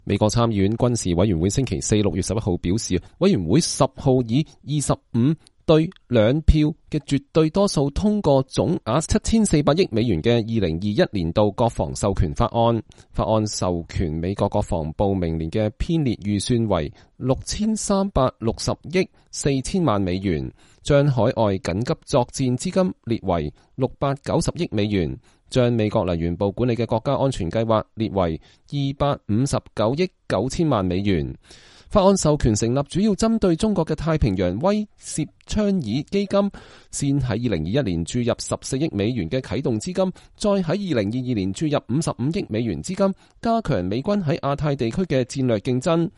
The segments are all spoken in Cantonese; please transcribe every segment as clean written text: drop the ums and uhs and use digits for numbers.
美國參議院軍事委員會星期四6月11號表示，委員會10號以25對2票嘅絕對多數通過總額7400億美元嘅2021年度國防授權法案。法案授權美國國防部明年嘅編列預算為6360億4000萬美元，將海外緊急作戰資金列為690億美元，將美國能源部管理嘅國家安全計劃列為259億9000萬美元。法案授權成立主要針對中國嘅太平洋威懾倡議基金，先喺2021年注入14億美元嘅啟動資金，再喺2022年注入55億美元資金，加強美軍喺亞太地區嘅戰略競爭。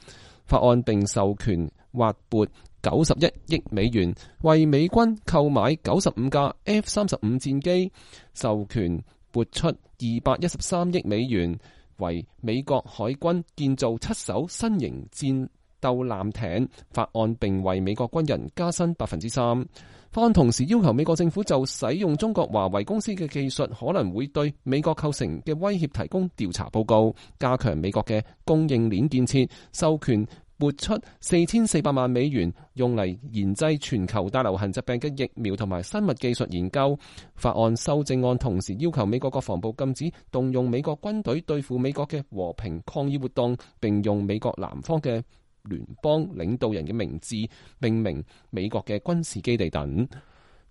法案並授權劃撥91億美元，為美軍購買95架 F-35 戰機，授權撥出213億美元，為美國海軍建造7艘新型戰鬥艦艇。法案並為美國軍人加薪 3%。法案同時要求美國政府就使用中國華為公司嘅技術可能會對美國構成嘅威脅提供調查報告，加強美國嘅供應鏈建設，授權撥出4400萬美元用嚟研製全球大流行疾病嘅疫苗同埋生物技術研究。法案修正案同時要求美國國防部禁止動用美國軍隊對付美國嘅和平抗議活動，並用美國南方嘅聯邦領導人嘅名字命名美國嘅軍事基地等。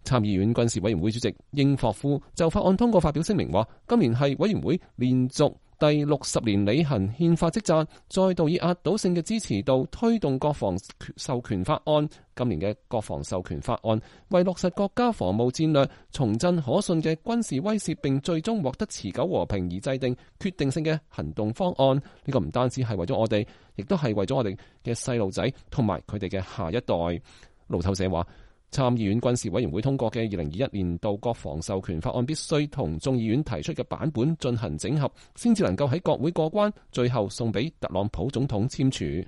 參議院軍事委員會主席英霍夫就法案通過發表聲明話，今年係委員會連續第60年履行憲法職責，再度以壓倒性嘅支持度推動國防授權法案。今年嘅國防授權法案為落實國家防務戰略、重振可信嘅軍事威懾，並最終獲得持久和平而制定決定性嘅行動方案。呢個唔單止係為咗我哋，亦都係為咗我哋嘅細路仔同埋佢哋嘅下一代。路透社話，參議院軍事委員會通過嘅2021年度國防授權法案必須同眾議院提出嘅版本進行整合，先至能夠喺國會過關，最後送俾特朗普總統簽署。